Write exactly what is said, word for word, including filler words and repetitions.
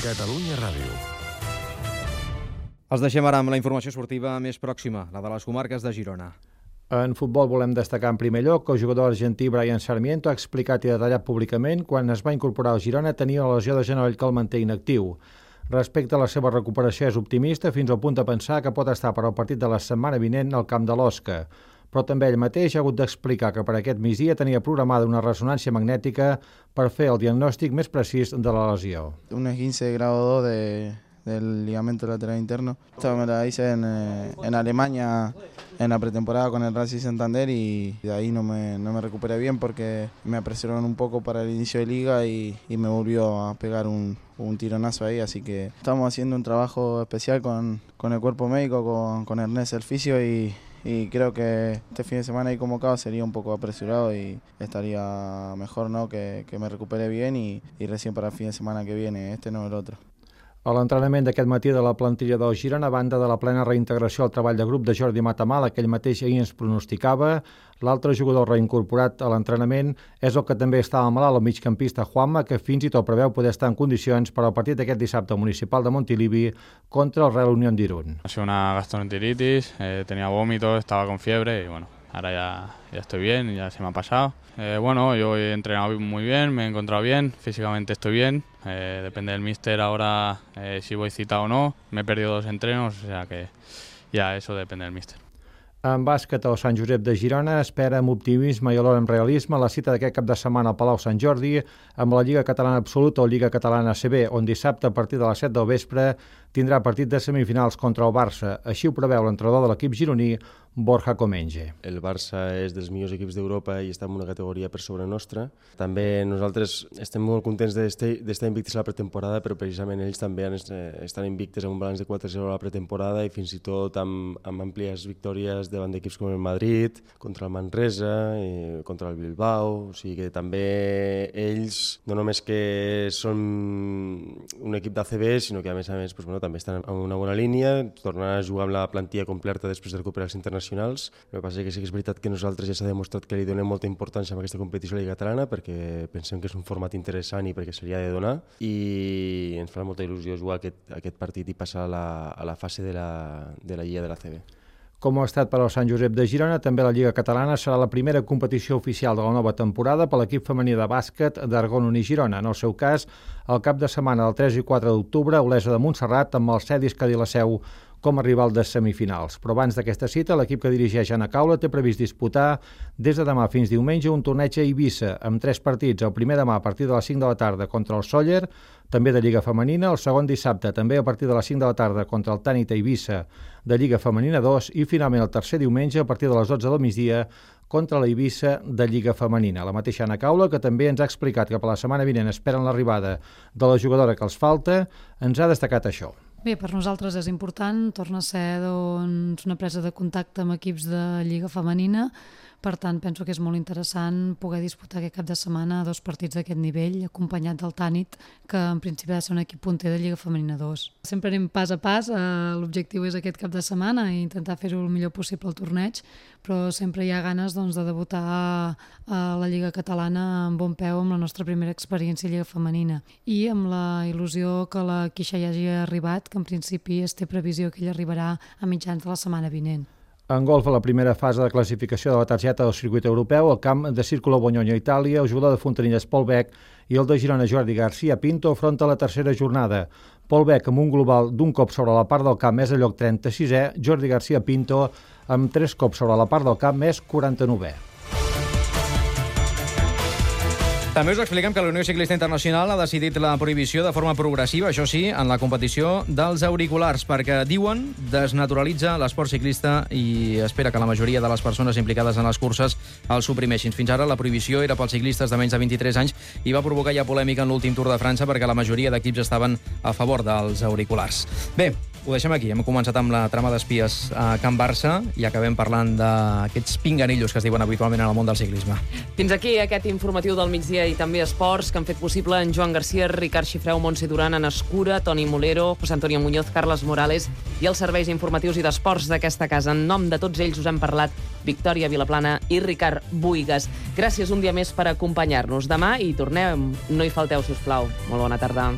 Catalunya Ràdio. Els deixem ara amb la informació esportiva més pròxima, la de les comarques de Girona. En futbol volem destacar en primer lloc que el jugador argentí Brian Sarmiento ha explicat i detallat públicament quan es va incorporar al Girona tenia la lesió de genoll que el manté inactiu. Respecte a la seva recuperació és optimista fins al punt de pensar que pot estar per al partit de la setmana vinent al camp de l'Osca. Però també ell mateix ha hagut d'explicar que per aquest migdia tenia programada una ressonància magnètica per fer el diagnòstic més precís de la lesió. Un esguince de grado dos de, del ligamento lateral interno. Esta me la hice en, en Alemania en la pretemporada con el Racing Santander y de ahí no me, no me recuperé bien porque me apresuraron un poco para el inicio de liga y, y me volvió a pegar un, un tironazo ahí, así que estamos haciendo un trabajo especial con, con el cuerpo médico, con, con Ernest el fisio y Y creo que este fin de semana ahí convocado sería un poco apresurado y estaría mejor, ¿no?, que, que me recupere bien y, y recién para el fin de semana que viene, este no el otro. A l'entrenament d'aquest matí de la plantilla del Girona, a banda de la plena reintegració al treball de grup de Jordi Matamala, que ell mateix ahir ens pronosticava, l'altre jugador reincorporat a l'entrenament és el que també estava malalt, el migcampista Juanma, que fins i tot preveu poder estar en condicions per al partit d'aquest dissabte municipal de Montilivi contra el Real Unión d'Irún. Ha sido una gastroenteritis, eh, tenía vómito, estaba con fiebre y bueno, ahora ya, ya estoy bien, ya se me ha pasado. Eh, bueno, yo he entrenado muy bien, me he encontrado bien, físicamente estoy bien, eh, depende del míster ahora eh, si voy citado o no, me he perdido dos entrenos, o sea que ya eso depende del míster. En bàsquet, el Sant Josep de Girona espera amb optimisme i alhora amb realisme la cita d'aquest cap de setmana al Palau Sant Jordi amb la Lliga Catalana Absoluta o Lliga Catalana A C B, on dissabte a partir de les set del vespre tindrà partit de semifinals contra el Barça. Així ho preveu l'entrenador de l'equip gironí, Borja Comenge. El Barça és dels millors equips d'Europa i està en una categoria per sobre nostra. També nosaltres estem molt contents d'estar invictes a la pretemporada, però precisament ells també estan invictes amb un balanç de quatre zero a la pretemporada i fins i tot amb, amb àmplies victòries davant d'equips com el Madrid, contra el Manresa, i contra el Bilbao. O sigui que també ells no només que són un equip d'A C B, sinó que a més a més pues, bueno, també estan en una bona línia, tornant a jugar amb la plantilla completa després de recuperar els internacionals. El que passa és que sí que és veritat que nosaltres ja s'ha demostrat que li donem molta importància a aquesta competició a la Lliga Catalana perquè pensem que és un format interessant i perquè se li ha de donar i ens farà molta il·lusió jugar aquest, aquest partit i passar a la, a la fase de la, de la Lliga de l'A C B. Com ho ha estat per al Sant Josep de Girona, també la Lliga Catalana serà la primera competició oficial de la nova temporada per l'equip femení de bàsquet d'Argon Uní Girona. En el seu cas, el cap de setmana del tres i quatre d'octubre, Olesa de Montserrat amb el Cedis Cadí-la-Seu com a rival de semifinals. Però abans d'aquesta cita, l'equip que dirigeix Anna Caula té previst disputar des de demà fins diumenge un torneig a Eivissa amb tres partits. El primer demà a partir de les cinc de la tarda contra el Sóller, també de Lliga Femenina, el segon dissabte també a partir de les cinc de la tarda contra el Tànit a Eivissa de Lliga Femenina dos i finalment el tercer diumenge a partir de les dotze del migdia contra la Eivissa de Lliga Femenina. La mateixa Anna Caula, que també ens ha explicat que per la setmana vinent esperen l'arribada de la jugadora que els falta, ens ha destacat això. Bé, per nosaltres és important, torna a ser doncs, una presa de contacte amb equips de Lliga Femenina, per tant penso que és molt interessant poder disputar aquest cap de setmana dos partits d'aquest nivell, acompanyat del Tànit, que en principi ha de ser un equip punter de Lliga Femenina dos. Sempre anem pas a pas, eh, l'objectiu és aquest cap de setmana i intentar fer-ho el millor possible al torneig, però sempre hi ha ganes doncs, de debutar a, a la Lliga Catalana amb bon peu amb la nostra primera experiència a Lliga Femenina i amb la il·lusió que la Queixa ja hagi arribat, que en principi es té previsió que ell arribarà a mitjans de la setmana vinent. En golf, a la primera fase de classificació de la targeta del circuit europeu, el camp de Círculo Bonyonyo a Itàlia, el jugador de Fontanilles Pol Bec i el de Girona Jordi García Pinto afronta la tercera jornada. Pol Bec amb un global d'un cop sobre la part del camp és a lloc trenta-sisè, Jordi García Pinto amb tres cops sobre la part del camp és quaranta-novè. També us expliquem que la Unió Ciclista Internacional ha decidit la prohibició de forma progressiva, això sí, en la competició dels auriculars, perquè, diuen, desnaturalitza l'esport ciclista i espera que la majoria de les persones implicades en les curses el suprimeixin. Fins ara la prohibició era pels ciclistes de menys de vint-i-tres anys i va provocar ja polèmica en l'últim Tour de França perquè la majoria d'equips estaven a favor dels auriculars. Bé, ho deixem aquí. Hem començat amb la trama d'espies a Can Barça i acabem parlant d'aquests pinganillos que es diuen habitualment en el món del ciclisme. Fins aquí aquest informatiu del migdia i també esports que han fet possible en Joan Garcia, Ricard Xifreu, Montse Duran, Anna Escura, Toni Molero, José Antonio Muñoz, Carles Morales i els serveis informatius i d'esports d'aquesta casa. En nom de tots ells us han parlat Victòria Vilaplana i Ricard Buigas. Gràcies un dia més per acompanyar-nos. Demà hi tornem. No hi falteu, sisplau. Molt bona tarda.